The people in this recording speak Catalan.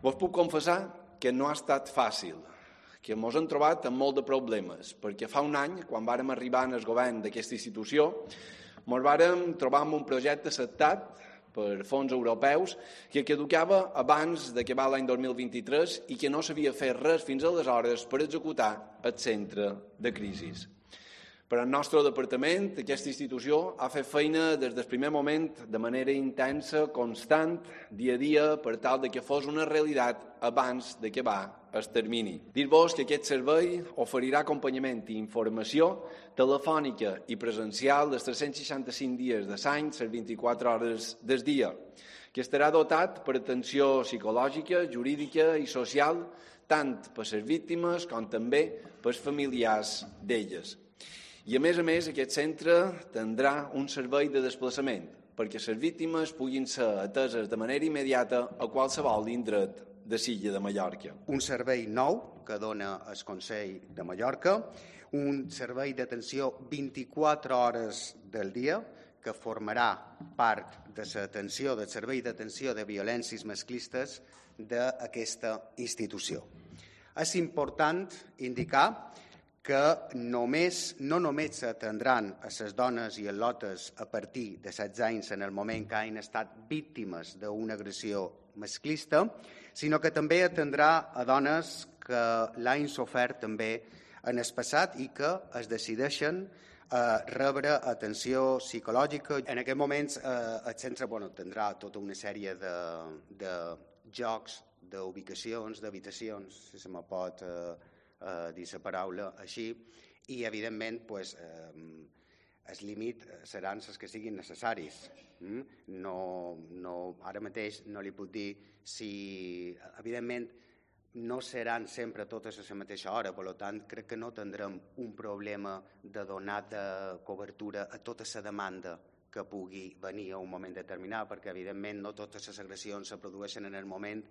Vos puc confessar que no ha estat fàcil, que ens hem trobat amb molt de problemes, perquè fa un any, quan vàrem arribar en el govern d'aquesta institució, ens vàrem trobar amb un projecte acceptat per fons europeus que caducava abans d'acabar l'any 2023 i que no s'havia fet res fins aleshores per executar el centre de crisi. Per al nostre departament, aquesta institució ha fet feina des del primer moment de manera intensa, constant, dia a dia, per tal que fos una realitat abans d'acabar el termini. Dir-vos que aquest servei oferirà acompanyament i informació telefònica i presencial dels 365 dies de l'any, les 24 hores del dia, que estarà dotat per atenció psicològica, jurídica i social, tant per les víctimes com també per els familiars d'elles. I, a més, aquest centre tindrà un servei de desplaçament perquè les víctimes puguin ser ateses de manera immediata a qualsevol indret de l'illa de Mallorca. Un servei nou que dona el Consell de Mallorca, un servei d'atenció 24 hores del dia que formarà part de l'atenció, del servei d'atenció de violències masclistes d'aquesta institució. És important indicar que no només s'atendran a les dones i els lotes a partir de 16 anys en el moment que hagin estat víctimes d'una agressió masclista, sinó que també atendrà a dones que l'hagin sofert també en el passat i que es decideixen a rebre atenció psicològica. En aquest moments el centre tindrà tota una sèrie de jocs, d'ubicacions, d'habitacions, si se me pot dir la paraula així, i evidentment el límit seran els que siguin necessaris. Ara mateix no li puc dir si, evidentment, no seran sempre totes a la mateixa hora, per tant, crec que no tindrem un problema de donar de cobertura a tota la demanda que pugui venir a un moment determinat, perquè, evidentment, no totes les agressions se produeixen en el moment